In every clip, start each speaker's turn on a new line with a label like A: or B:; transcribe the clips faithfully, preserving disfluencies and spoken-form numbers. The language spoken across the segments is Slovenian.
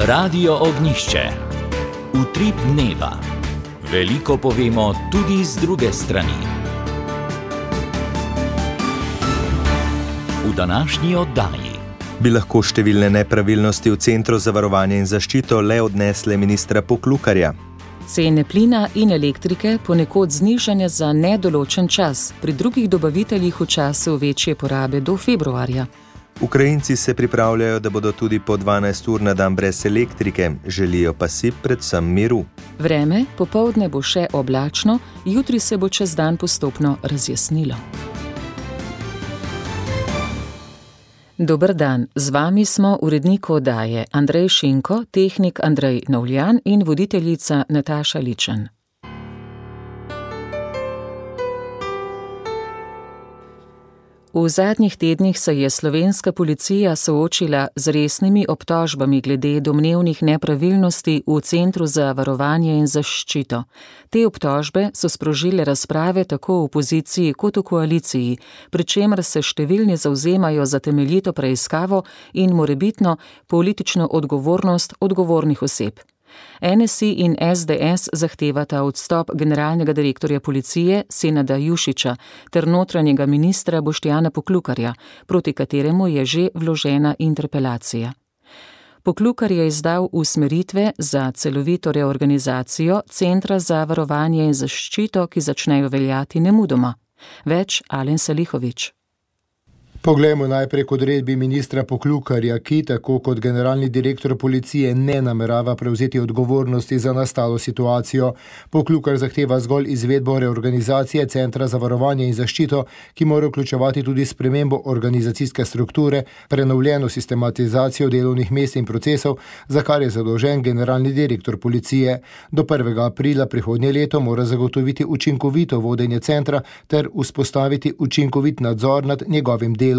A: Radio Ognišče. Utrip dneva. Veliko povemo tudi z druge strani. V današnji oddaji
B: bi lahko številne nepravilnosti v Centru za varovanje in zaščito le odnesle ministra Poklukarja.
C: Cene plina in elektrike ponekod znižane za nedoločen čas, pri drugih dobaviteljih v času večje porabe do februarja.
B: Ukrajinci se pripravljajo, da bodo tudi po dvanajst ur na dan brez elektrike, želijo pa si predvsem miru.
C: Vreme, popoldne bo še oblačno, jutri se bo čez dan postopno razjasnilo. Dober dan, z vami smo urednik oddaje Andrej Šinko, tehnik Andrej Novljan in voditeljica Nataša Ličen. V zadnjih tednih se je slovenska policija soočila z resnimi obtožbami glede domnevnih nepravilnosti v Centru za varovanje in zaščito. Te obtožbe so sprožile razprave tako v opoziciji kot v koaliciji, pri čemer se številni zavzemajo za temeljito preiskavo in morebitno politično odgovornost odgovornih oseb. N S I in S D S zahtevata odstop generalnega direktorja policije Senada Jušića ter notranjega ministra Boštjana Poklukarja, proti kateremu je že vložena interpelacija. Poklukar je izdal usmeritve za celovito reorganizacijo Centra za varovanje in zaščito, ki začnejo veljati nemudoma. Več Alen Salihović.
D: Poglejmo najprej k odredbi ministra Poklukarja, ki tako kot generalni direktor policije ne namerava prevzeti odgovornosti za nastalo situacijo. Poklukar zahteva zgolj izvedbo reorganizacije Centra za varovanje in zaščito, ki mora vključevati tudi spremembo organizacijske strukture, prenovljeno sistematizacijo delovnih mest in procesov, za kar je zadolžen generalni direktor policije. Do prvega aprila prihodnje leto mora zagotoviti učinkovito vodenje centra ter vzpostaviti učinkovit nadzor nad njegovim delom.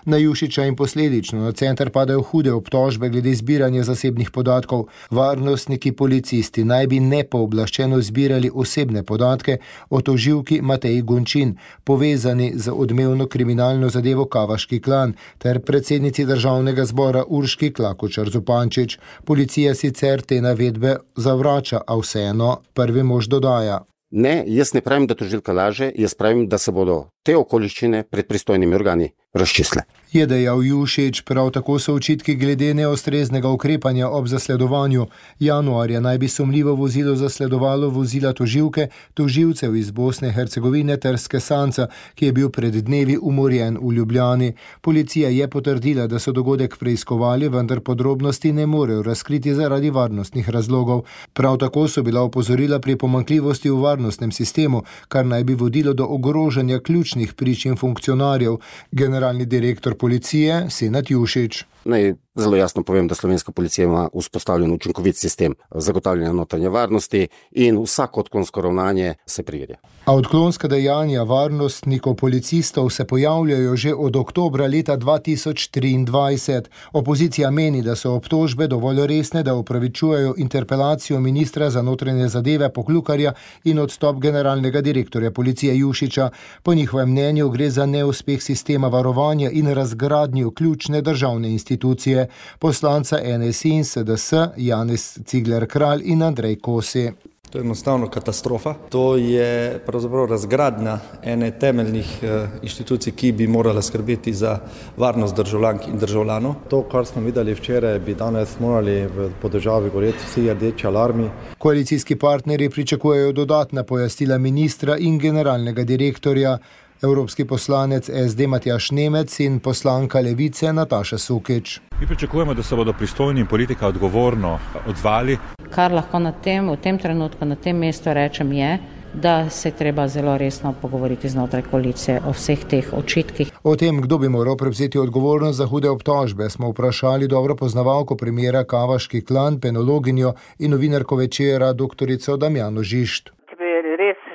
D: Na Jušića in posledično na center padajo hude obtožbe glede zbiranja zasebnih podatkov. Varnostniki policisti naj bi nepooblaščeno zbirali osebne podatke o tožilki Mateji Gončin, povezani z odmevno kriminalno zadevo Kavaški klan, ter predsednici državnega zbora Urški Klakočar Zupančič. Policija sicer te navedbe zavrača, a vseeno prvi mož dodaja.
E: Ne, jaz ne pravim, da tožilka laže, jaz pravim, da se bodo te okoliščine pred pristojnimi organi razčistle.
D: Je dejal Jušić, prav tako so očitki glede neustreznega ukrepanja ob zasledovanju. Januarja naj bi sumljivo vozilo zasledovalo vozila tožilke, tožilcev iz Bosne in Hercegovine ter Skesanca, ki je bil pred dnevi umorjen v Ljubljani. Policija je potrdila, da so dogodek preiskovali, vendar podrobnosti ne morejo razkriti zaradi varnostnih razlogov. Prav tako so bila opozorila pri pomanjkljivosti v varnostnem sistemu, kar naj bi vodilo do ogrožanja ključnih prič in funkcionarjev. Generalni direktor policije Senad Jušić.
E: Naj zelo jasno povem, da slovenska policija ima vzpostavljen učinkovit sistem zagotavljanja notranje varnosti in vsako odklonsko ravnanje se preverja.
D: A odklonska dejanja varnostnikov policistov se pojavljajo že od oktobra leta dva tisoč triindvajset. Opozicija meni, da so obtožbe dovolj resne, da upravičujejo interpelacijo ministra za notranje zadeve Poklukarja in odstop generalnega direktorja policije Jušića. Po njihovem mnenju gre za neuspeh sistema varovanja in razgradnjo ključne državne institucije. Poslanca N S I in S D S Janez Cigler Kralj in Andrej Kosi.
F: To je enostavno katastrofa. To je pravzaprav razgradnja ene temeljnih eh, inštitucij, ki bi morala skrbeti za varnost državljank in državljanov.
G: To, kar smo videli včeraj, bi danes morali v po državi goreti vsi rdeči alarmi.
D: Koalicijski partnerji pričakujejo dodatna pojasnila ministra in generalnega direktorja. Evropski poslanec S D Matjaž Nemec in poslanka Levice Nataša Sukič.
H: Mi pričakujemo, da se bodo pristojni in politika odgovorno odzvali.
I: Kar lahko na tem, v tem trenutku na tem mestu rečem je, da se treba zelo resno pogovoriti znotraj koalicije o vseh teh očitkih.
D: O tem, kdo bi moral prevzeti odgovornost za hude obtožbe, smo vprašali dobro poznavalko primera Kavaški klan, penologinjo in novinarko Večera doktorico Damjano Žišt.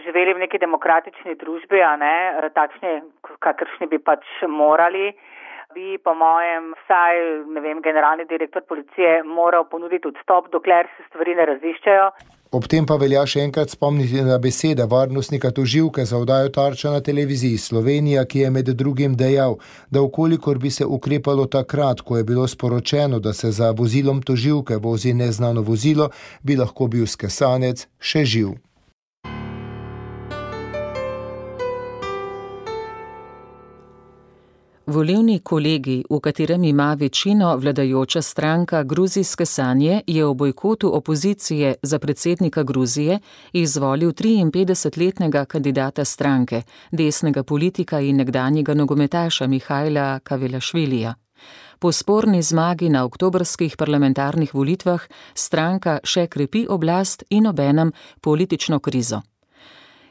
J: Živeli v neki demokratični družbi, a ne, takšni, kakršni bi pač morali, bi po mojem vsaj, ne vem, generalni direktor policije moral ponuditi odstop, dokler se stvari ne raziščejo.
D: Ob tem pa velja še enkrat spomniti na besede varnostnika tožilke za oddajo Tarča na televiziji Slovenija, ki je med drugim dejal, da ukolikor bi se ukrepalo takrat, ko je bilo sporočeno, da se za vozilom tožilke vozi neznano vozilo, bi lahko bil skesanec še živ.
C: Volilni kolegij, v katerem ima večino vladajoča stranka Gruzijske sanje, je v bojkotu opozicije za predsednika Gruzije izvolil triinpetdesetletnega kandidata stranke, desnega politika in nekdanjega nogometaša Mihajla Kavelašvilija. Po sporni zmagi na oktobrskih parlamentarnih volitvah stranka še krepi oblast in obenem politično krizo.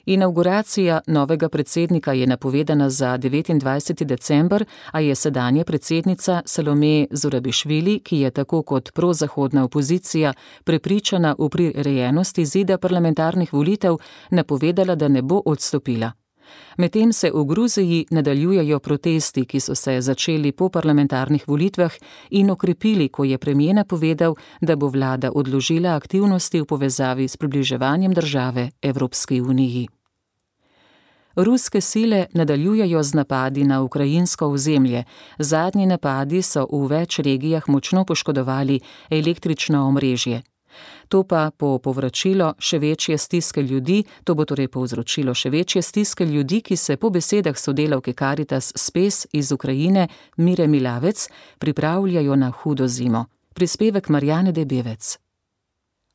C: Inavguracija novega predsednika je napovedana za devetindvajseti december, a je sedanja predsednica Salome Zurabišvili, ki je tako kot prozahodna opozicija prepričana v prirejenost izida parlamentarnih volitev, napovedala, da ne bo odstopila. Medtem se v Gruziji nadaljujejo protesti, ki so se začeli po parlamentarnih volitvah in okrepili, ko je premijer napovedal, da bo vlada odložila aktivnosti v povezavi s približevanjem države Evropski uniji. Ruske sile nadaljujejo z napadi na ukrajinsko ozemlje. Zadnji napadi so v več regijah močno poškodovali električno omrežje. To pa po povračilo še večje stiske ljudi, to bo torej povzročilo še večje stiske ljudi, ki se po besedah sodelavke Caritas Spes iz Ukrajine Mire Milavec pripravljajo na hudo zimo. Prispevek Marjane Debevec.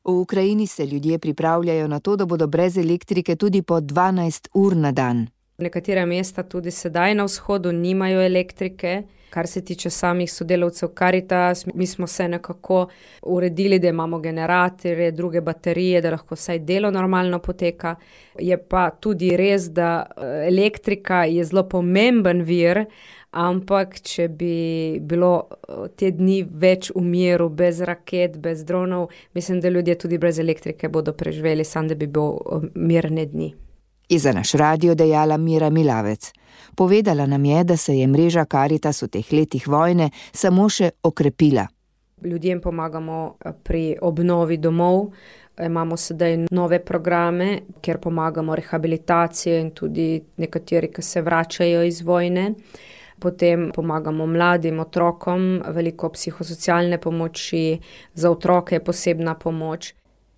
K: V Ukrajini se ljudje pripravljajo na to, da bodo brez elektrike tudi po dvanajst ur na dan.
L: Nekatera mesta tudi sedaj na vzhodu nimajo elektrike. Kar se tiče samih sodelavcev Caritas, mi smo se nekako uredili, da imamo generatorje, druge baterije, da lahko vsaj delo normalno poteka. Je pa tudi res, da elektrika je zelo pomemben vir, ampak če bi bilo te dni več v miru, bez raket, bez dronov, mislim, da ljudje tudi brez elektrike bodo preživeli, sam da bi bil mirne dni.
K: Je za naš radio dejala Mira Milavec. Povedala nam je, da se je mreža Caritas v teh letih vojne samo še okrepila.
L: Ljudem pomagamo pri obnovi domov, imamo sedaj nove programe, kjer pomagamo rehabilitacijo in tudi nekateri, ki se vračajo iz vojne. Potem pomagamo mladim otrokom, veliko psihosocialne pomoči, za otroke je posebna pomoč.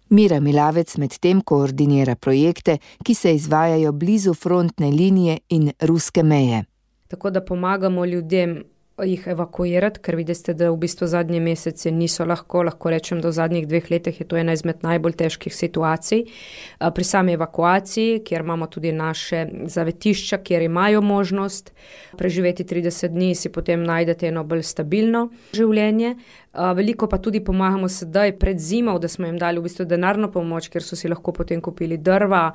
K: Mira Milavec med tem koordinira projekte, ki se izvajajo blizu frontne linije in ruske meje.
L: Tako da pomagamo ljudem jih evakuirati, ker vidite, da v bistvu zadnje mesece niso lahko, lahko rečem, da v zadnjih dveh letih je to ena izmed najbolj težkih situacij. Pri sami evakuaciji, kjer imamo tudi naše zavetišča, kjer imajo možnost preživeti trideset dni, si potem najdete eno bolj stabilno življenje. Veliko pa tudi pomagamo sedaj pred zimo, da smo jim dali v bistvu denarno pomoč, ker so si lahko potem kupili drva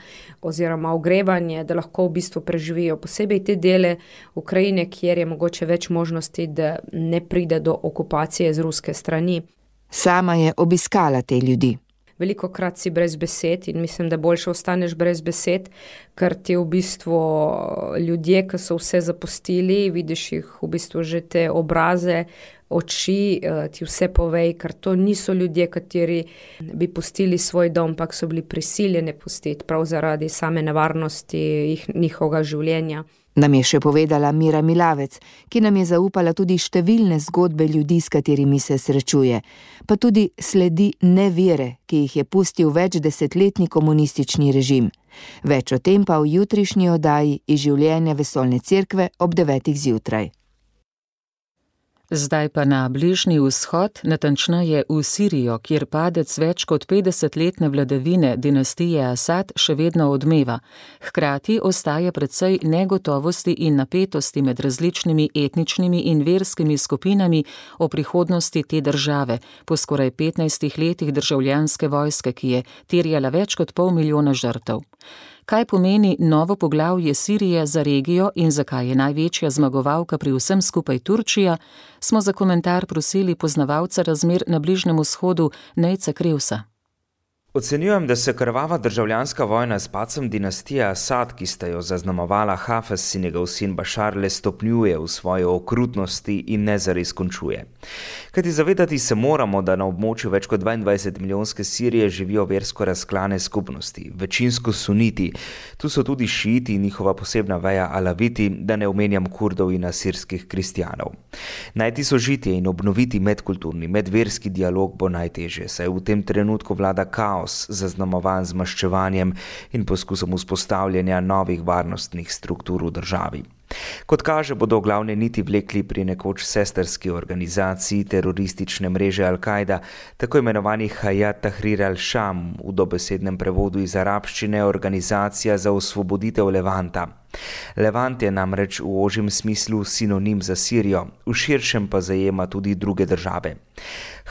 L: oziroma ogrevanje, da lahko v bistvu preživijo posebej te dele Ukrajine, kjer je mogoče več možnosti, da ne pride do okupacije z ruske strani.
K: Sama je obiskala te ljudi.
L: Veliko krat si brez besed in mislim, da boljše ostaneš brez besed, ker ti v bistvu ljudje, ki so vse zapustili, vidiš jih v bistvu že te obraze, oči, ti vse povej, ker to niso ljudje, kateri bi pustili svoj dom, ampak so bili prisiljeni pustiti prav zaradi same nevarnosti jih, njihovega življenja.
K: Nam je še povedala Mira Milavec, ki nam je zaupala tudi številne zgodbe ljudi, s katerimi se srečuje, pa tudi sledi nevere, ki jih je pustil več desetletni komunistični režim. Več o tem pa v jutrišnji oddaji iz življenja Vesoljne cerkve ob devetih zjutraj.
C: Zdaj pa na Bližnji vzhod, natančneje v Sirijo, kjer padec več kot petdesetletne vladavine dinastije Asad še vedno odmeva. Hkrati ostaja precej negotovosti in napetosti med različnimi etničnimi in verskimi skupinami o prihodnosti te države, po skoraj petnajstih letih državljanske vojske, ki je terjala več kot pol milijona žrtev. Kaj pomeni novo poglavje Sirije za regijo in zakaj je največja zmagovalka pri vsem skupaj Turčija, smo za komentar prosili poznavalca razmer na Bližnjem vzhodu Nejca Krevsa.
M: Ocenjujem, da se krvava državljanska vojna s padcem dinastije Asad, ki sta jo zaznamovala Hafez in njegov sin Bašar, le stopnjuje v svoji okrutnosti in ne zares končuje. Kajti zavedati se moramo, da na območju več kot dvaindvajset milijonske Sirije živijo versko razklane skupnosti, večinsko suniti, tu so tudi šiiti in njihova posebna veja alaviti, da ne omenjam Kurdov in asirskih kristjanov. Najti sožitje in obnoviti medkulturni, medverski dialog bo najtežje, saj v tem trenutku vlada kaos, zaznamovan z maščevanjem in poskusom vzpostavljanja novih varnostnih struktur v državi. Kot kaže, bodo glavne niti vlekli pri nekoč sestrski organizaciji teroristične mreže Al-Kaida, tako imenovani Hayat Tahrir al-Sham, v dobesednem prevodu iz arabščine organizacija za osvoboditev Levanta. Levant je namreč v ožjem smislu sinonim za Sirijo, v širšem pa zajema tudi druge države.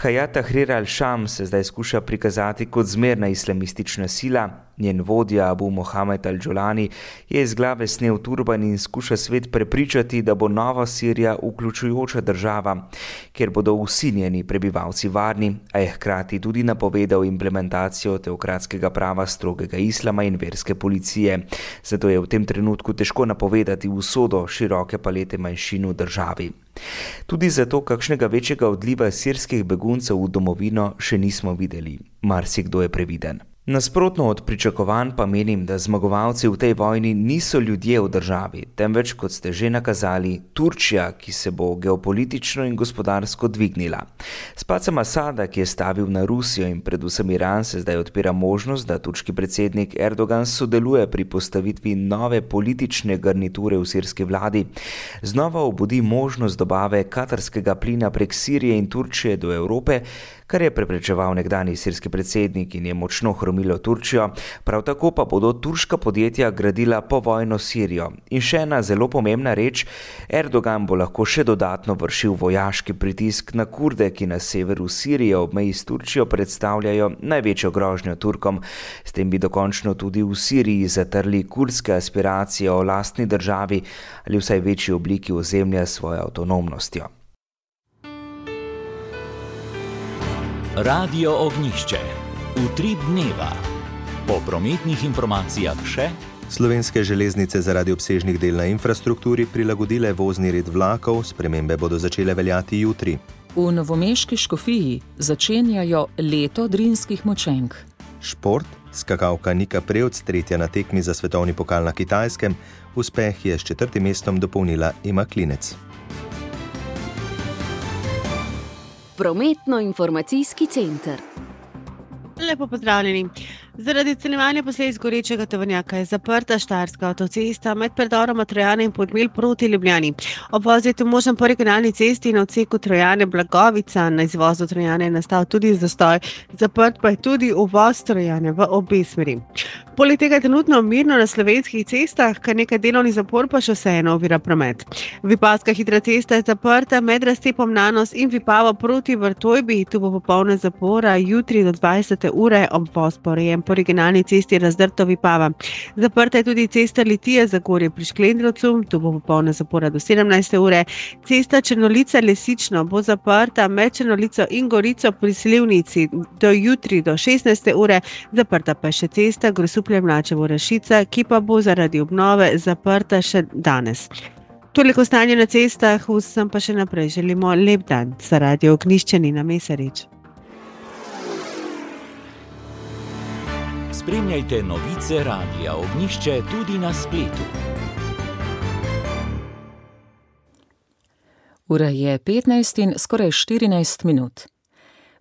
M: Hayat Tahrir al-Sham se zdaj skuša prikazati kot zmerna islamistična sila, njen vodja Abu Mohamed al-Džolani je iz glave snel turban in skuša svet prepričati, da bo nova Sirija vključujoča država, kjer bodo vsi njeni prebivalci varni, a je hkrati tudi napovedal implementacijo teokratskega prava, strogega islama in verske policije. Zato je v tem trenutku težko napovedati usodo široke palete manjšin v državi. Tudi zato kakšnega večjega odliva sirskih beguncev v domovino še nismo videli. Marsikdo je previden. Nasprotno od pričakovanj pa menim, da zmagovalci v tej vojni niso ljudje v državi, temveč, kot ste že nakazali, Turčija, ki se bo geopolitično in gospodarsko dvignila. S padcem Asada, ki je stavil na Rusijo in predvsem Iran, se zdaj odpira možnost, da turški predsednik Erdogan sodeluje pri postavitvi nove politične garniture v sirski vladi. Znova obudi možnost dobave katarskega plina prek Sirije in Turčije do Evrope, kar je preprečeval nekdanji sirski predsednik in je močno hromilo Turčijo, prav tako pa bodo turška podjetja gradila povojno Sirijo. In še ena zelo pomembna reč, Erdogan bo lahko še dodatno vršil vojaški pritisk na Kurde, ki na severu Sirije ob meji s Turčijo predstavljajo največjo grožnjo Turkom. S tem bi dokončno tudi v Siriji zatrli kurdske aspiracije o lastni državi ali vsaj večji obliki ozemlja s svojo avtonomnostjo.
A: Radio Ognjišče. Utrip dneva. Po prometnih informacijah še.
B: Slovenske železnice zaradi obsežnih del na infrastrukturi prilagodile vozni red vlakov, spremembe bodo začele veljati jutri.
C: V novomeški Škofiji začenjajo leto drinskih močenk.
B: Šport, skakalka Nika Prevc, tretja na tekmi za svetovni pokal na Kitajskem, uspeh je s četrtim mestom dopolnila Ema Klinec.
N: Prometno-informacijski center.
O: Lepo pozdravljeni. Zaradi odstranjevanja posledic gorečega tovornjaka je zaprta Štajerska avtocesta med predoroma Trojane in Podmilj proti Ljubljani. Obvoz je tu možen po regionalni cesti na odseku Trojane Blagovica. Na izvozu Trojane je nastal tudi zastoj, zaprt pa je tudi uvoz Trojane v obe smeri. Poleg tega je trenutno mirno na slovenskih cestah, kar nekaj delovnih zapor pa še vseeno ovira promet. Vipavska hitra cesta je zaprta med razcepom Nanos in Vipavo proti Vrtojbi. Tu bo popolna zapora jutri do dvajsete ure, obvoz pa urejen po regionalni cesti Razdrto Vipava. Zaprta je tudi cesta Litija Zagorje pri Šklendrovcu, tu bo popolna zapora do sedemnajste ure. Cesta Črnolica Lesično bo zaprta med Črnolico in Gorico pri Slivnici do jutri do šestnajste ure. Zaprta pa je še cesta Grosuplje Mlačevo Rašica, ki pa bo zaradi obnove zaprta še danes. Toliko stanje na cestah, vsem pa še naprej želimo lep dan. Za Radio Ognjišče Nina Mesarič.
A: Spremljajte novice Radia Ognjišče tudi na spletu.
C: Ura je petnajst in skoraj štirinajst minut.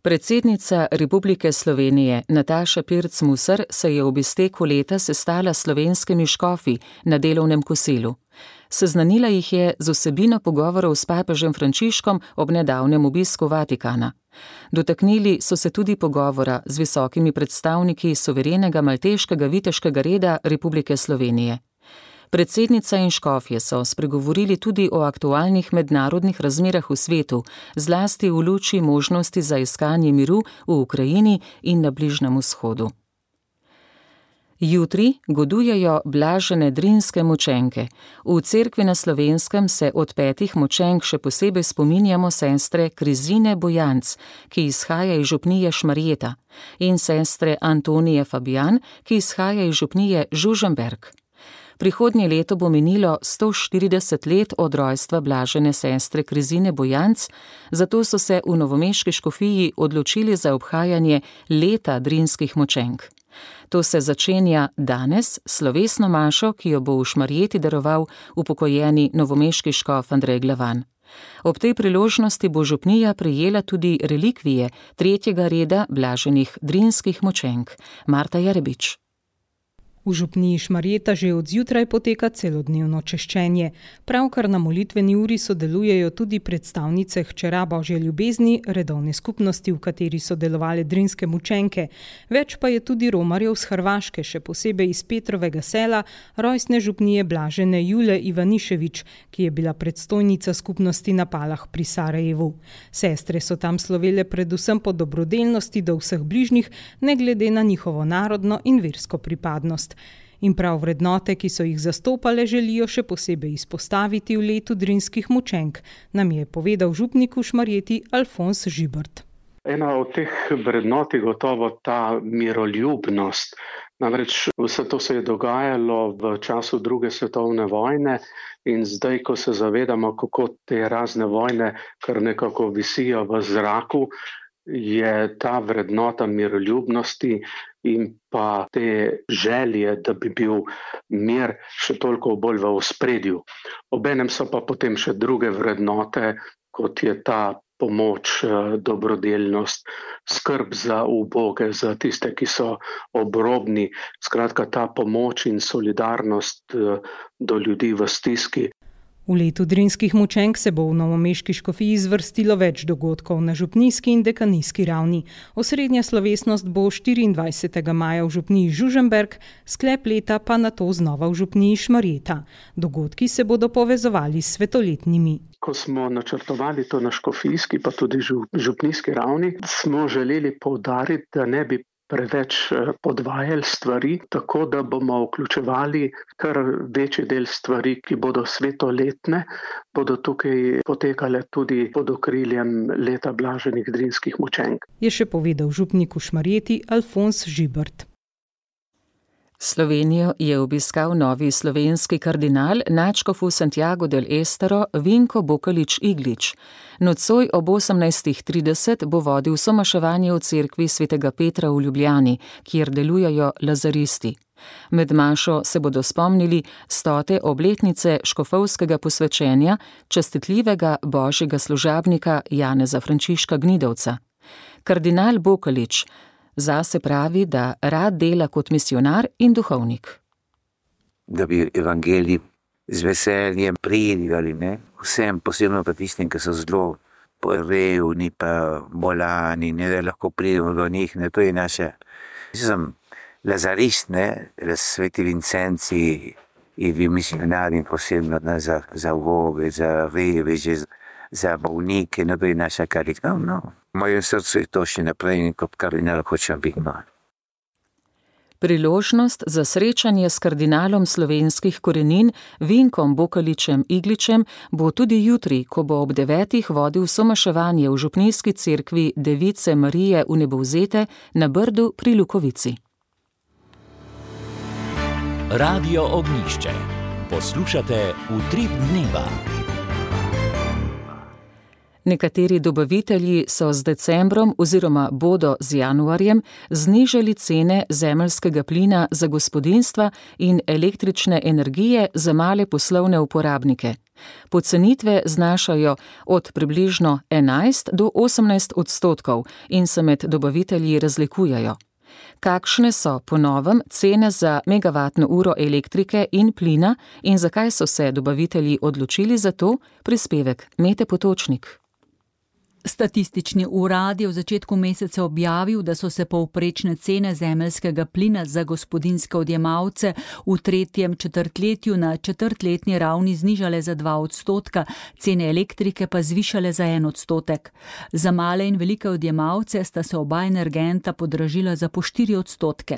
C: Predsednica Republike Slovenije Nataša Pirc Musar se je ob izteku leta sestala s slovenskimi škofi na delovnem kosilu. Seznanila jih je z vsebino pogovorov s papežem Frančiškom ob nedavnem obisku Vatikana. Dotaknili so se tudi pogovora z visokimi predstavniki suverenega malteškega viteškega reda Republike Slovenije. Predsednica in škofje so spregovorili tudi o aktualnih mednarodnih razmerah v svetu, zlasti v luči možnosti za iskanje miru v Ukrajini in na Bližnjem vzhodu. Jutri godujejo blažene drinske mučenke. V cerkvi na Slovenskem se od petih mučenk še posebej spominjamo sestre Krizine Bojanc, ki izhaja iz župnije Šmarjeta, in sestre Antonije Fabijan, ki izhaja iz župnije Žužemberk. Prihodnje leto bo minilo sto štirideset let od rojstva blažene sestre Krizine Bojanc, zato so se v novomeški škofiji odločili za obhajanje leta drinskih mučenk. To se začenja danes s slovesno mašo, ki jo bo v Šmarjeti daroval upokojeni novomeški škof Andrej Glavan. Ob tej priložnosti bo župnija prejela tudi relikvije tretjega reda blaženih drinskih mučenk. Marta Jarebič.
N: V župniji Šmarjeta že od zjutraj poteka celodnevno češčenje. Pravkar na molitveni uri sodelujejo tudi predstavnice Hčera Božje ljubezni, redovne skupnosti, v kateri so delovale drinske mučenke. Več pa je tudi romarjev z Hrvaške, še posebej iz Petrovega sela, rojstne župnije blažene Jule Ivanišević, ki je bila predstojnica skupnosti na Palah pri Sarajevu. Sestre so tam slovele predvsem po dobrodelnosti do vseh bližnjih, ne glede na njihovo narodno in versko pripadnost. In prav vrednote, ki so jih zastopale, želijo še posebej izpostaviti v letu drinskih mučenk, nam je povedal župnik v Šmarjeti Alfons Žibert.
P: Ena od teh vrednot je gotovo ta miroljubnost. Namreč vse to se je dogajalo v času druge svetovne vojne in zdaj, ko se zavedamo, kako te razne vojne kar nekako visijo v zraku, je ta vrednota miroljubnosti in pa te želje, da bi bil mir še toliko bolj v ospredju. Obenem so pa potem še druge vrednote, kot je ta pomoč, dobrodelnost, skrb za uboge, za tiste, ki so obrobni. Skratka, ta pomoč in solidarnost do ljudi v stiski.
N: V letu drinskih mučenk se bo v novomeški škofiji zvrstilo več dogodkov na župnijski in dekanijski ravni. Osrednja slovesnost bo štiriindvajsetega maja v župniji Žužemberk, sklep leta pa nato znova v župniji Šmarjeta. Dogodki se bodo povezovali s svetoletnimi.
P: Ko smo načrtovali to na škofijski pa tudi župnijski ravni, smo želeli poudariti, da ne bi preveč podvajali stvari, tako da bomo vključevali kar večji del stvari, ki bodo svetoletne, bodo tukaj potekale tudi pod okriljem leta blaženih drinskih mučenk.
N: Je še povedal župnik v Šmarjeti Alfons Žibert.
C: Slovenijo je obiskal novi slovenski kardinal, nadškof v Santiago del Estero Vinko Bokalič-Iglič. Nocoj ob osemnajstih trideset bo vodil somaševanje v cerkvi svetega Petra v Ljubljani, kjer delujejo lazaristi. Med mašo se bodo spomnili stote obletnice škofovskega posvečenja častitljivega božjega služabnika Janeza Frančiška Gnidovca. Kardinal Bokalič zase pravi, da rad dela kot misionar in duhovnik.
Q: Da bi evangelij z veseljem predigali, ne? Vsem, posebno pa tistim, ki so zelo revni, pa bolani, ne, da lahko pridemo do njih, ne, to je naša. Jaz sem lazarist, ne, sveti Vincenci in vi misionari posebno, ne, za, za voge, za reveže, za bolnike, ne, to je naša karika, no. V mojem srcu je to še naprej in kot kardinal hočem biti. No.
C: Priložnost za srečanje s kardinalom slovenskih korenin Vinkom Bokaličem-Igličem bo tudi jutri, ko bo ob devetih vodil somaševanje v župnijski cerkvi Device Marije v Nebovzete na Brdu pri Lukovici.
A: Radio Ognjišče. Poslušate Utrip dneva.
C: Nekateri dobavitelji so z decembrom oziroma bodo z januarjem znižali cene zemeljskega plina za gospodinjstva in električne energije za male poslovne uporabnike. Pocenitve znašajo od približno enajst do osemnajst odstotkov in se med dobavitelji razlikujejo. Kakšne so po novem cene za megavatno uro elektrike in plina in zakaj so se dobavitelji odločili za to, prispevek Mete Potočnik.
R: Statistični urad je v začetku meseca objavil, da so se povprečne cene zemeljskega plina za gospodinjske odjemalce v tretjem četrtletju na četrtletni ravni znižale za dva odstotka, cene elektrike pa zvišale za en odstotek. Za male in velike odjemalce sta se oba energenta podražila za po štiri odstotke.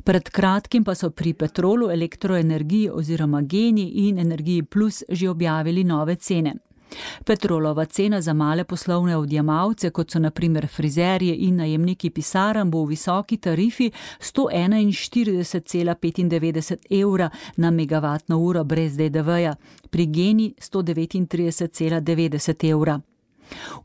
R: Pred kratkim pa so pri Petrolu, Elektroenergiji oziroma Geni in Energiji Plus že objavili nove cene. Petrolova cena za male poslovne odjemalce, kot so na primer frizerje in najemniki pisarn, bo v visoki tarifi sto enainštirideset cela petindevetdeset evra na megavatno uro brez D D V-ja, pri Geni sto devetintrideset cela devetdeset evra.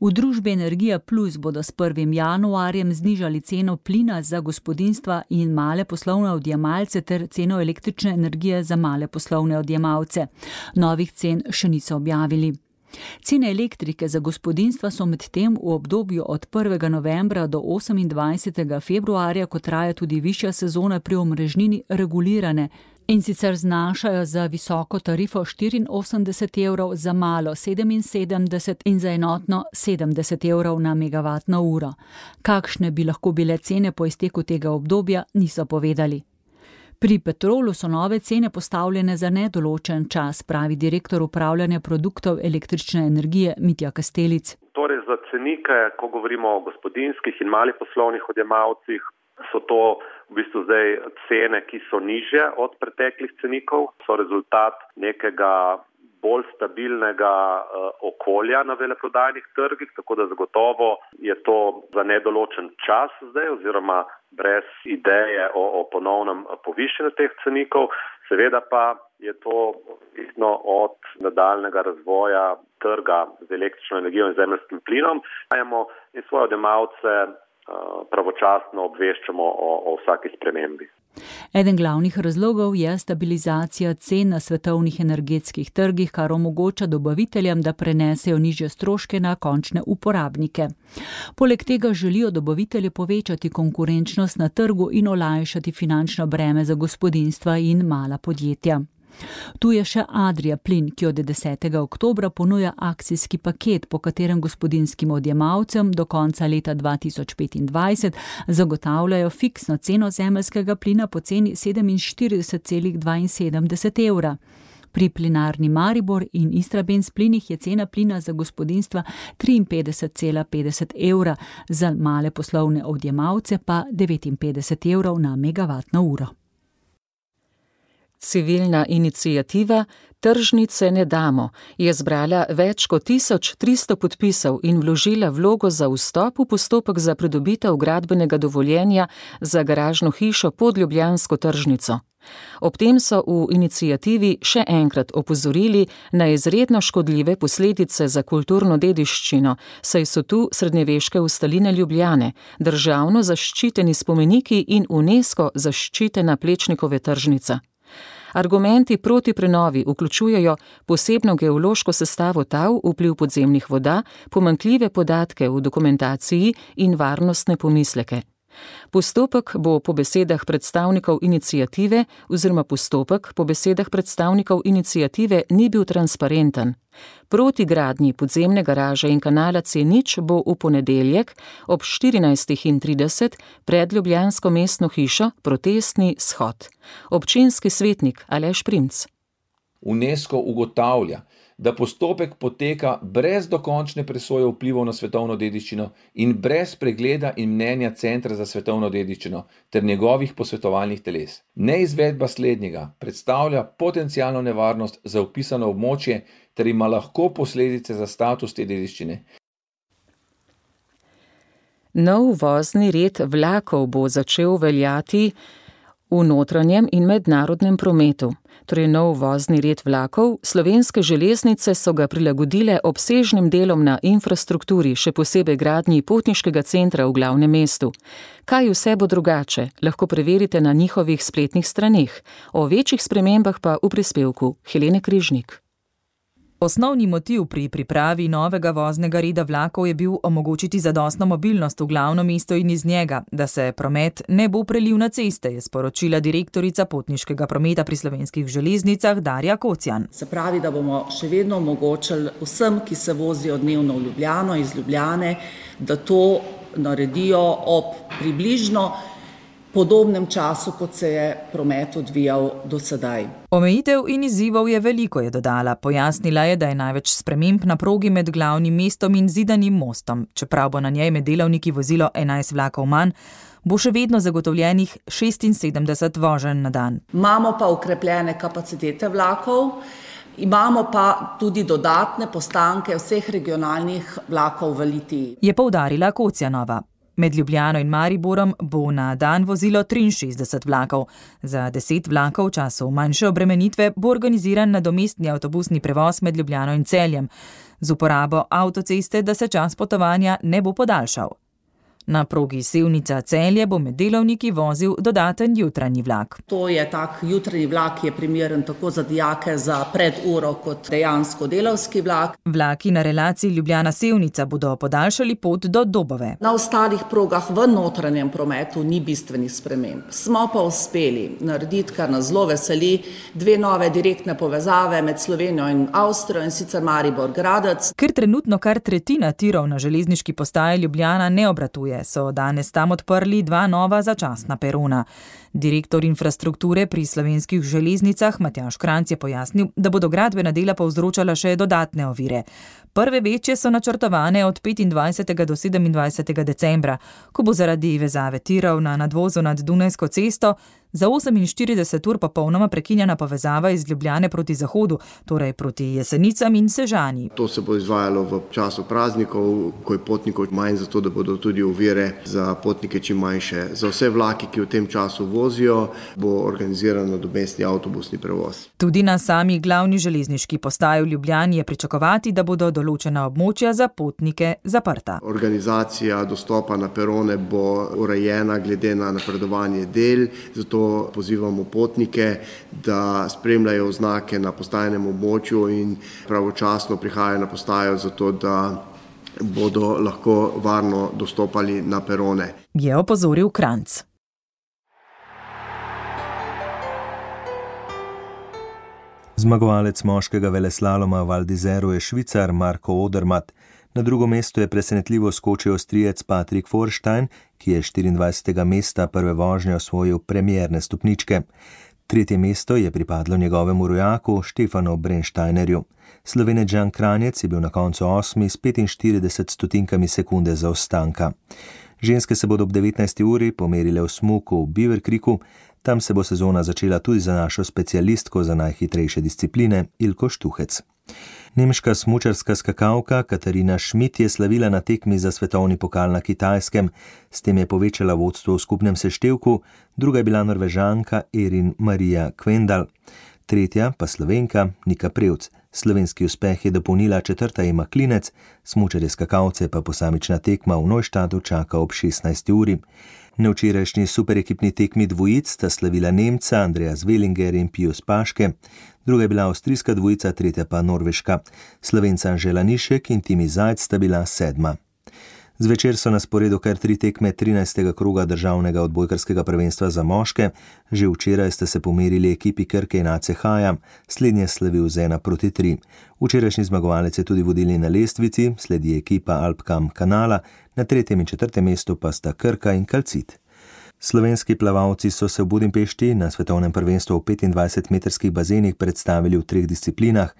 R: V družbi Energija Plus bodo s prvim januarjem znižali ceno plina za gospodinjstva in male poslovne odjemalce ter ceno električne energije za male poslovne odjemalce. Novih cen še niso objavili. Cene elektrike za gospodinjstva so medtem v obdobju od prvega novembra do osemindvajsetega februarja, ko traja tudi višja sezona pri omrežnini, regulirane in sicer znašajo za visoko tarifo štiriinosemdeset evrov, za malo sedeminsedemdeset in za enotno sedemdeset evrov na megavatno uro. Kakšne bi lahko bile cene po izteku tega obdobja, niso povedali. Pri Petrolu so nove cene postavljene za nedoločen čas, pravi direktor upravljanja produktov električne energije Mitja Kastelic.
S: Torej za cenike, ko govorimo o gospodinjskih in malih poslovnih odjemalcih, so to v bistvu zdaj cene, ki so nižje od preteklih cenikov, so rezultat nekega bolj stabilnega uh, okolja na veleprodajnih trgih, tako da zagotovo je to za nedoločen čas zdaj oziroma brez ideje o, o ponovnem povišanju teh cenikov. Seveda pa je to odvisno od nadaljnega razvoja trga z električno energijo in zemeljskim plinom. In svoje odjemalce pravočasno obveščamo o, o vsaki spremembi.
R: Eden glavnih razlogov je stabilizacija cen na svetovnih energetskih trgih, kar omogoča dobaviteljem, da prenesejo nižje stroške na končne uporabnike. Poleg tega želijo dobavitelji povečati konkurenčnost na trgu in olajšati finančno breme za gospodinjstva in mala podjetja. Tu je še Adria Plin, ki od desetega oktobra ponuja akcijski paket, po katerem gospodinjskim odjemalcem do konca leta dva tisoč petindvajset zagotavljajo fiksno ceno zemeljskega plina po ceni sedeminštirideset cela dvainsedemdeset evra. Pri Plinarni Maribor in Istrabenz plinih je cena plina za gospodinjstva triinpetdeset cela petdeset evra, za male poslovne odjemalce pa devetinpetdeset evrov na megavatno uro.
C: Civilna iniciativa Tržnice ne damo je zbrala več kot tisoč tristo podpisov in vložila vlogo za vstop v postopek za pridobitev gradbenega dovoljenja za garažno hišo pod ljubljansko tržnico. Ob tem so v iniciativi še enkrat opozorili na izredno škodljive posledice za kulturno dediščino, saj so tu srednjeveške ustaline Ljubljane, državno zaščiteni spomeniki in UNESCO zaščitena Plečnikove tržnica. Argumenti proti prenovi vključujejo posebno geološko sestavo tal, vpliv podzemnih voda, pomanjkljive podatke v dokumentaciji in varnostne pomisleke. Postopek bo po besedah predstavnikov iniciative oziroma postopek po besedah predstavnikov iniciative ni bil transparenten. Proti gradnji podzemne garaže in kanala C nič bo v ponedeljek ob štirinajst trideset pred ljubljansko mestno hišo protestni shod. Občinski svetnik Aleš Primc.
T: UNESCO ugotavlja, da postopek poteka brez dokončne presoje vplivov na svetovno dediščino in brez pregleda in mnenja Centra za svetovno dediščino ter njegovih posvetovalnih teles. Neizvedba slednjega predstavlja potencialno nevarnost za vpisano območje ter ima lahko posledice za status te dediščine.
C: Nov vozni red vlakov bo začel veljati v notranjem in mednarodnem prometu. Torej nov vozni red vlakov, Slovenske železnice so ga prilagodile obsežnim delom na infrastrukturi, še posebej gradnji potniškega centra v glavnem mestu. Kaj vse bo drugače, lahko preverite na njihovih spletnih straneh. O večjih spremembah pa v prispevku Helene Križnik.
U: Osnovni motiv pri pripravi novega voznega reda vlakov je bil omogočiti zadostno mobilnost v glavno mesto in iz njega, da se promet ne bo prelil na ceste, je sporočila direktorica potniškega prometa pri Slovenskih železnicah Darja Kocjan.
V: Se pravi, da bomo še vedno omogočili vsem, ki se vozijo dnevno v Ljubljano, iz Ljubljane, da to naredijo ob približno podobnem času, kot se je promet odvijal do sedaj.
U: Omejitev in izzivov je veliko, je dodala. Pojasnila je, da je največ sprememb na progi med glavnim mestom in Zidanim mostom. Čeprav bo na njej med delavniki vozilo enajst vlakov manj, bo še vedno zagotovljenih šestinsedemdeset voženj na dan.
V: Imamo pa okrepljene kapacitete vlakov, imamo pa tudi dodatne postanke vseh regionalnih vlakov v Litiji.
U: Je poudarila Kocjanova. Med Ljubljano in Mariborom bo na dan vozilo triinšestdeset vlakov. Za deset vlakov v času manjše obremenitve bo organiziran nadomestni avtobusni prevoz med Ljubljano in Celjem, z uporabo avtoceste, da se čas potovanja ne bo podaljšal. Na progi Sevnica-Celje bo med delavniki vozil dodaten jutranji vlak.
V: To je tak jutranji vlak, ki je primeren tako za dijake za preduro kot dejansko delavski vlak.
U: Vlaki na relaciji Ljubljana-Sevnica bodo podaljšali pot do Dobove.
V: Na ostalih progah v notranjem prometu ni bistvenih sprememb. Smo pa uspeli narediti, kar nas zelo veseli, dve nove direktne povezave med Slovenijo in Avstrijo, in sicer Maribor-Gradec.
U: Ker trenutno kar tretjina tirov na železniški postaji Ljubljana ne obratuje, so danes tam odprli dva nova začasna perona. Direktor infrastrukture pri Slovenskih železnicah Matjaž Kranjc je pojasnil, da bodo gradbena dela povzročala še dodatne ovire. Prve večje so načrtovane od petindvajsetega do sedemindvajsetega decembra, ko bo zaradi vezave tirov na nadvozu nad Dunajsko cesto za oseminštirideset ur popolnoma prekinjena povezava iz Ljubljane proti zahodu, torej proti Jesenicam in Sežani.
E: To se bo izvajalo v času praznikov, ko je potnikov manj, zato da bodo tudi ovire za potnike čim manjše. Za vse vlaki, ki v tem času vozijo, bo organiziran nadomestni avtobusni prevoz.
U: Tudi na sami glavni železniški postaji v Ljubljani je pričakovati, da bodo določena območja za potnike zaprta.
E: Organizacija dostopa na perone bo urejena glede na napredovanje del, zato pozivamo potnike, da spremljajo oznake na postajnem območju in pravočasno prihajajo na postajo, zato da bodo lahko varno dostopali na perone.
U: Je opozoril Kranjc.
B: Zmagovalec moškega veleslaloma v Val d'Izeru je Švicar Marko Odermatt. Na drugo mesto je presenetljivo skočil Avstrijec Patrick Vorstein, ki je štiriindvajsetega mesta prve vožnje osvojil premierne stopničke. Tretje mesto je pripadlo njegovemu rojaku Štefanu Brennsteinerju. Slovenec Žan Kranjec je bil na koncu osmi s petinštirideset stotinkami sekunde zaostanka. Ženske se bodo ob devetnajsti uri pomerile v smuku v Beaver Creeku. Tam se bo sezona začela tudi za našo specialistko za najhitrejše discipline Ilko Štuhec. Nemška smučarska skakalka Katarina Schmidt je slavila na tekmi za svetovni pokal na Kitajskem. S tem je povečala vodstvo v skupnem seštevku, druga je bila Norvežanka Erin Marija Kvendal. Tretja pa Slovenka Nika Prevc. Slovenski uspeh je dopolnila četrta Ema Klinec, smučarje skakalce pa posamična tekma v Neuštadtu čaka ob šestnajsti uri. Na včerajšnji superekipni tekmi dvojic sta slavila Nemca Andreas Wellinger in Pius Paške, druga je bila avstrijska dvojica, tretja pa norveška. Slovenca Anžela Nišek in Timi Zajc sta bila sedma. Zvečer so na sporedu kar tri tekme trinajstega kroga državnega odbojkarskega prvenstva za moške. Že včeraj sta se pomerili ekipi Krke in A C H-ja, slednje slavil z ena proti tri. Včerajšnji zmagovalec je tudi vodilni na lestvici, sledi ekipa Alpcam Kanala, na tretjem in četrtem mestu pa sta Krka in Calcit. Slovenski plavalci so se v Budimpešti na svetovnem prvenstvu v petindvajsetmetrskih bazenih predstavili v treh disciplinah.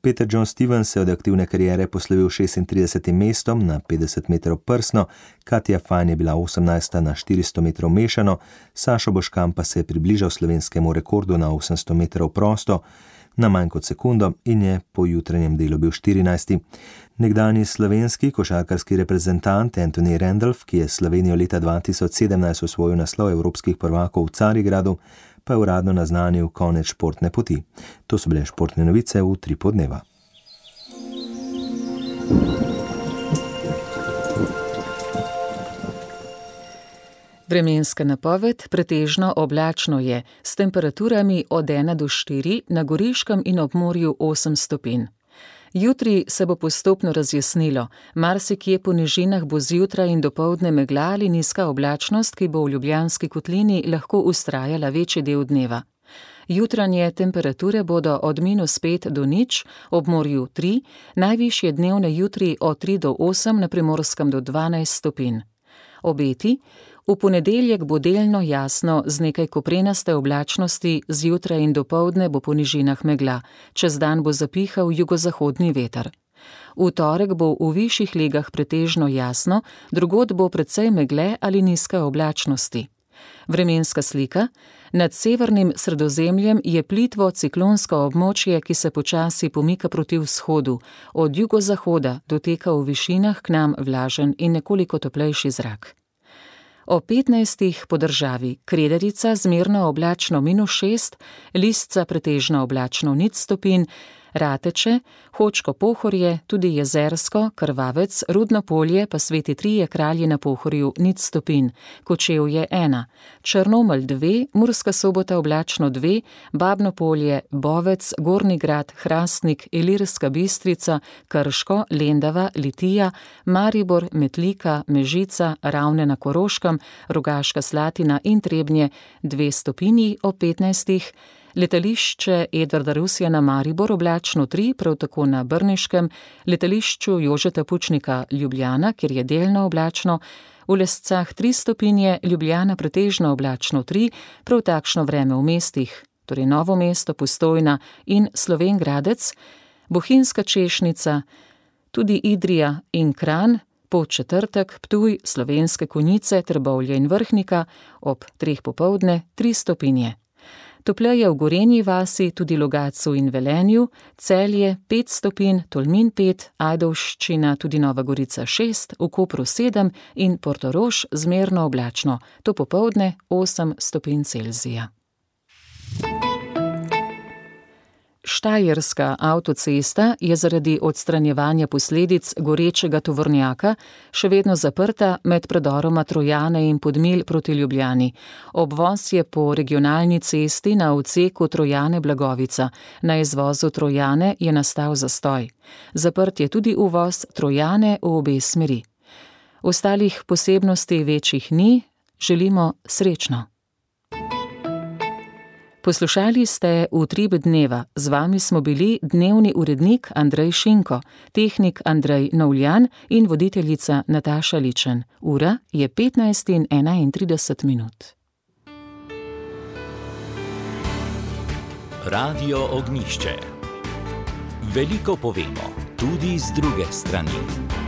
B: Peter John Stevens se od aktivne kariere poslovil šestintridesetim mestom na petdeset metrov prsno, Katja Fajn je bila osemnajsta na štiristo metrov mešano, Sašo Boškan pa se je približal slovenskemu rekordu na osemsto metrov prosto na manj kot sekundo in je po jutranjem delu bil štirinajsti. Nekdanji slovenski košarkarski reprezentant Anthony Randolph, ki je Slovenijo leta dva tisoč sedemnajst osvojil naslov evropskih prvakov v Carigradu, pa je uradno naznanil konec športne poti. To so bile športne novice v tri podneva.
C: Vremenska napoved: pretežno oblačno je, s temperaturami od ena do štiri, na Goriškem in ob morju osem stopinj. Jutri se bo postopno razjasnilo, marsikje po nižinah bo zjutraj in dopoldne megla ali nizka oblačnost, ki bo v Ljubljanski kotlini lahko vztrajala večji del dneva. Jutranje temperature bodo od minus pet do nič, ob morju tri, najvišje dnevne jutri od tri do osem, na Primorskem do dvanajst stopinj. Obeti: V ponedeljek bo delno jasno z nekaj koprenaste oblačnosti, zjutraj in dopoldne bo po nižinah megla, čez dan bo zapihal jugozahodni veter. V torek bo v višjih legah pretežno jasno, drugod bo precej megle ali nizke oblačnosti. Vremenska slika. Nad severnim Sredozemljem je plitvo ciklonsko območje, ki se počasi pomika proti vzhodu. Od jugozahoda doteka v višinah k nam vlažen in nekoliko toplejši zrak. O petnajstih po državi Krederica zmerno oblačno minus šest, Listca pretežno oblačno nič stopinj, Rateče, Hočko Pohorje, tudi Jezersko, Krvavec, Rudno Polje pa Sveti Trije kralji na Pohorju nič stopinj, Kočevje ena, Črnomelj dve, Murska Sobota oblačno dve, Babno Polje, Bovec, Gornji Grad, Hrastnik, Ilirska Bistrica, Krško, Lendava, Litija, Maribor, Metlika, Mežica, Ravne na Koroškem, Rogaška Slatina in Trebnje dve stopinji o petnajstih, letališče Edvarda Rusjana Maribor oblačno tri, prav tako na Brniškem, letališču Jožeta Pučnika Ljubljana, kjer je delno oblačno, v Lescah tri stopinje, Ljubljana pretežno oblačno tri, prav takšno vreme v mestih, torej Novo mesto, Postojna in Slovenj Gradec, Bohinjska Češnica, tudi Idrija in Kranj, Podčetrtek, Ptuj, Slovenske Konjice, Trbovlje in Vrhnika, ob treh popoldne tri stopinje. Topleje v Gorenji vasi, tudi Logatcu in Velenju, Celje pet stopinj, Tolmin pet, Ajdovščina, tudi Nova Gorica šest, v Kopru sedem in Portorož zmerno oblačno, to popoldne osem stopinj Celzija. Štajerska avtocesta je zaradi odstranjevanja posledic gorečega tovornjaka še vedno zaprta med predoroma Trojane in Podmilj proti Ljubljani. Obvoz je po regionalni cesti na odseku Trojane-Blagovica. Na izvozu Trojane je nastal zastoj. Zaprt je tudi uvoz Trojane v obe smeri. Ostalih posebnosti večjih ni, želimo srečno. Poslušali ste Utrip dneva. Z vami smo bili dnevni urednik Andrej Šinko, tehnik Andrej Novljan in voditeljica Nataša Ličen. Ura je petnajst in enaintrideset minut.
A: Radio Ognjišče. Veliko povemo, tudi z druge strani.